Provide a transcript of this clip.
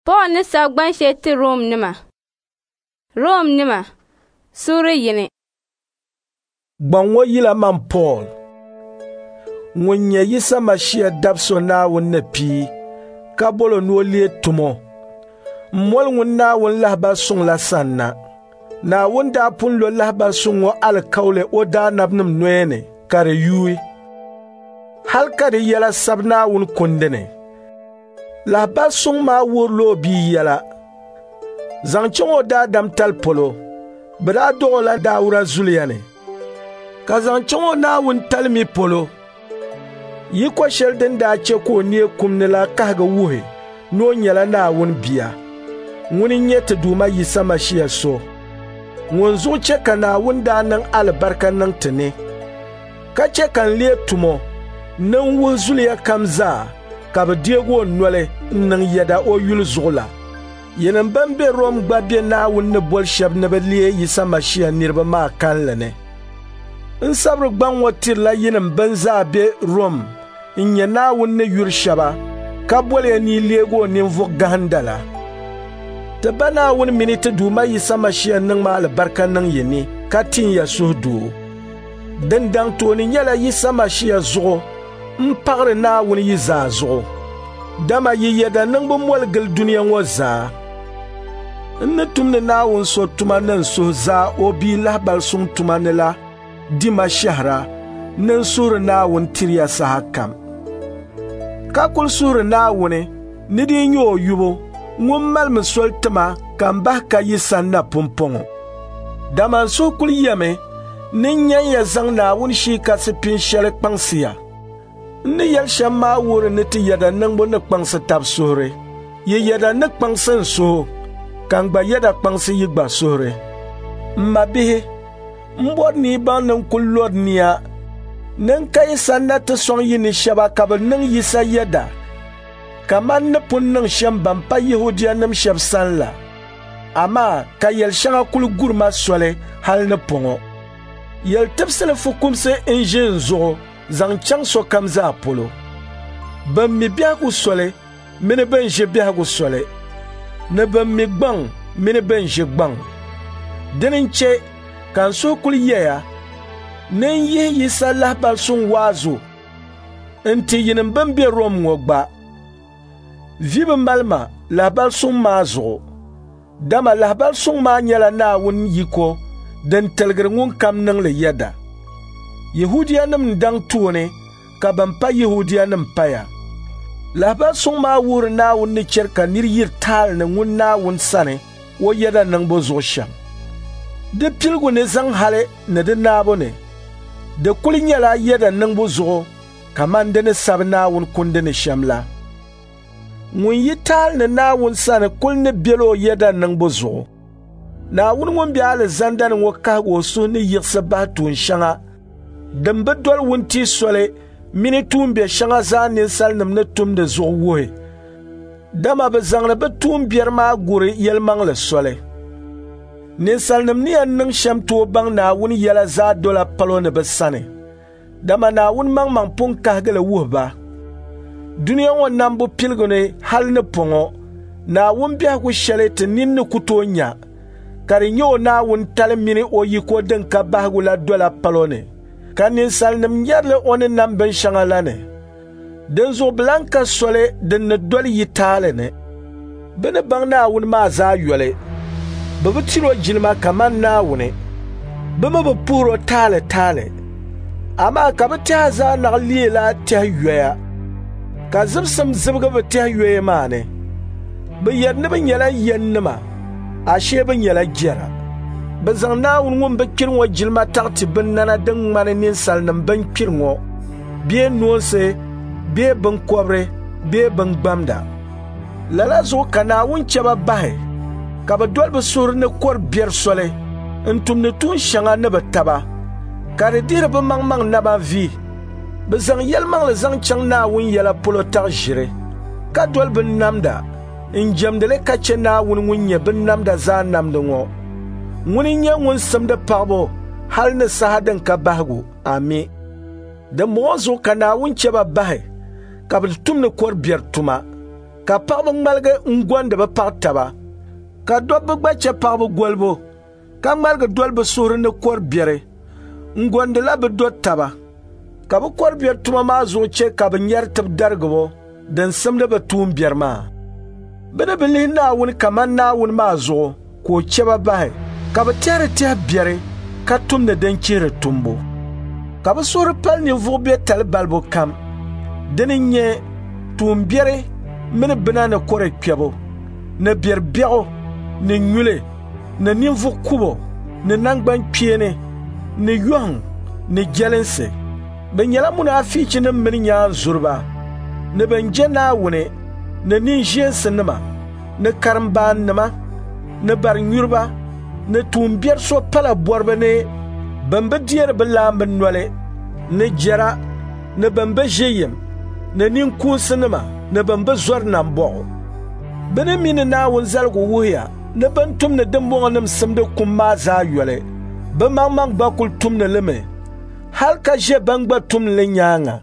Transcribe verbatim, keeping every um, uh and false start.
Paul ni sabi gban shɛli ti Romnima. Romnima, suuri yini. Gbaŋ ŋɔ yila man Paul, ŋun nyɛ Yisa Mashia dab so Naawuni ni pii, ka bol o ni o leei tumo, m-moli ŋun Naawuni lahibal suŋ la sanna. Naawuni daa pun lo lahibal suŋ ŋɔ alikauli o daanabinim noya ni ka di yuui, hal ka di yɛla sabi Naawuni kundi ni. Lahibal suŋ maa wuhirila o bia yɛla. Zaŋ chaŋ o daadamtali polo, bɛ daa dɔɣ o la Dauda zuliya ni, ka zaŋ chaŋ o Naawuni tali mi polo, yiko shɛli din daa chɛ ka o neei kum ni la kahigi wuhi ni o nyɛla Naawuni bia. Ŋuni n-nyɛ ti Duuma Yisa Mashia so, ŋun zuɣu chɛ ka Naawuni daa niŋ alibarika niŋ ti ni, ka chɛ ka n leei tumo ni n wuhi zuliya kam zaa ka bɛ deeg o noli n-niŋ yɛda o yuli zuɣu la. Yinim bɛn be Rom gba be Naawuni ni boli shɛba ni bɛ leei Yisa Mashia niriba maa kalinli ni. N sabiri gbaŋ ŋɔ tirila yinim bɛn zaa be Rom n-nyɛ Naawuni ni yuri shɛba ka boli ya ni yi leeg o ninvuɣ gahinda la. Ti Ba Naawuni mini ti Duuma Yisa Mashia niŋmi alibarika niŋ yi ni ka tin ya suhudoo. Din daŋ tooni nyɛla Yisa Mashia zuɣu m paɣiri Naawuni yi zaa zuɣu, dama yi yɛda niŋbu moli gili dunia ŋɔ zaa. N ni tumdi Naawuni so tuma ni n suhu zaa o bia lahibal suŋ tuma ni la di ma shɛhira ni n suhiri Naawuni tiri ya sahakam. Ka kul suhiri Naawuni ni di nyɛ o yubu ŋun malimi soli ti ma ka m bahi ka yi sanna pumpɔŋɔ. Dama n suhu kul yɛmi ni n nyan ya zaŋ Naawuni Shii Kasi pin shɛli kpaŋsi ya. N ni yɛli shɛm maa wuhiri ni ti yɛda niŋbu ni kpaŋsi tab suhuri. Yi yɛda ni kpaŋsi n suhu, ka n gba yɛda kpaŋsi yi gba suhuri. M mabihi, m bɔri ni yi baŋ ni n kul lɔri nia ni n ka yi sanna ti sɔŋ yi ni shɛba ka bɛ niŋ Yisa yɛda, kaman ni pun niŋ shɛm ban pa Yɛhudianim shɛb sani la. Amaa ka yɛl shɛŋa kul guri ma soli hal ni pɔŋɔ. Yɛl tibisili fukumsi n-ʒi n zuɣu zaŋ chaŋ sokam zaa polo. Bɛn mi biɛhigu soli mini bɛn ʒi biɛhigu soli, ni bɛn mi gbaŋ mini bɛn ʒi gbaŋ. Dini n-chɛ ka n suhu kul yɛya ni n yihi Yisa lahibal suŋ waazu n-ti yinim bɛn be Rom ŋɔ gba. Vi bi mali ma lahibal suŋ maa zuɣu, dama lahibal suŋ maa nyɛla Naawuni yiko din tiligiri ŋunkam niŋ li yɛda. Yɛhudianim n-daŋ tooni ka bɛn pa Yɛhudianim paya. Lahibal suŋ maa wuhiri Naawuni ni chɛri ka nir yiri taali ni ŋun Naawuni sani o yɛda niŋbu zuɣu shɛm. Di piligu ni zaŋ hali ni di naabu ni, di kul nyɛla yɛda niŋbu zuɣu kaman di ni sabi Naawuni kundi ni shɛm la. Ŋun yi taali ni Naawuni sani kul ni bela o yɛda niŋbu zuɣu. Naawuni ŋun be alizanda ni ŋɔ kahigi o suhu ni yiɣisi bahi tuun shɛŋa din bi doli wuntia soli mini tuumbiɛ shɛŋa zaa ninsalinim ni tumdi zuɣu wuhi, dama bɛ zaŋdi bɛ tuumbiɛri maa guri yɛlimaŋli soli. Ninsalinim ni yɛn niŋ shɛm tooi baŋ Naawuni yɛla zaa dola palo ni bɛ sani, dama Naawuni maŋmaŋ pun kahigi li wuhi ba. Dunia ŋɔ nambu piligu ni hal ni pɔŋɔ, Naawuni biɛhigu shɛli ti nini ni ku tooi nya, ka di nyɛ o Naawuni tali mini o yiko din ka bahigu la dola palo ni, ka ninsalinim nyari li o ni nam binshɛŋa la ni. Dinzuɣu bɛ lan ka soli din ni doli yi taali ni. Bɛ ni baŋ Naawuni maa zaa yoli, bɛ bi tiri o jilima kaman Naawuni, bɛ mi bi puhiri o taali taali. Amaa ka bɛ tɛha zaa naɣ leela tɛhi yoya, ka zibisim zibigi bɛ tɛhi yoya maa ni. Bɛ yɛri ni bɛ nyɛla yɛnnima, ashee bɛ nyɛla jɛra. Bɛ zaŋ Naawuni ŋun bi kpiri ŋɔ jilima taɣi ti binnana din ŋmani ninsalinim bɛn kpiri ŋɔ, bee noonsi, bee binkɔbiri, bee bingbamda. Lala zuɣu ka Naawuni chɛ ba bahi ka bɛ doli bɛ suhuri ni kɔr biɛri soli n-tumdi tuun shɛŋa ni bɛ taba, ka di dihiri bɛ maŋmaŋ naba vi. Bɛ zaŋ yɛlimaŋli zaŋ chaŋ Naawuni yɛla polo taɣi ʒiri, ka doli binnamda n-jɛmdi li ka chɛ Naawuni ŋun nyɛ binnamda zaa namdi ŋɔ. Ŋuni n-nyɛ ŋun simdi paɣibu hal ni saha din ka bahigu. Ami. Dimbɔŋɔ zuɣu ka Naawuni chɛ ba bahi ka bɛ tumdi kɔr biɛri tuma, Ka paɣaba ŋmaligi n-gondi bɛ paɣ taba, ka dobba gba chɛ paɣaba golibu, ka ŋmaligi doli bɛ suhuri ni kɔr biɛri n-gondila bɛ do taba, ka bɛ kɔr biɛri tuma maa zuɣu chɛ ka bɛ nyari tibidarigibo din simdi bɛ tuumbiɛri maa. Bɛ ni bi lihi Naawuni kaman Naawuni maa zuɣu ka o chɛ ba bahi, ka bɛ tɛhiri tɛhi biɛri ka tumdi din chihiri tumbu. Ka bɛ suhuri pali ninvuɣ biɛtali balibu kam. Dini n-nyɛ tuumbiɛri mini bina ni kɔre kpɛbu, ni biɛri biɛɣu, ni nyuli, ni ninvuɣ kubo, ni naŋgbankpeeni, ni yɔhiŋ, ni jɛlinsi. Bɛ nyɛla munaafichinim mini nyaanzuriba, ni bɛn je Naawuni, ni ninʒeensinima, ni karimbaannima, ni barinyuriba, ni tuumbiɛri so pala bɔriba ni bɛn bi deeri bɛ laamba noli, ni jɛra, ni bɛn bi ʒe yim, ni ninkuunsinima, ni bɛn bi zɔri nambɔɣu. Bɛ ni mi ni Naawuni zaligu wuhiya ni bɛn tumdi dimbɔŋɔnim simdi kum maa zaa yoli, bɛ maŋmaŋ gba kul tumdi li mi, hal ka ʒe bɛn gba tumdi li nyaaŋa.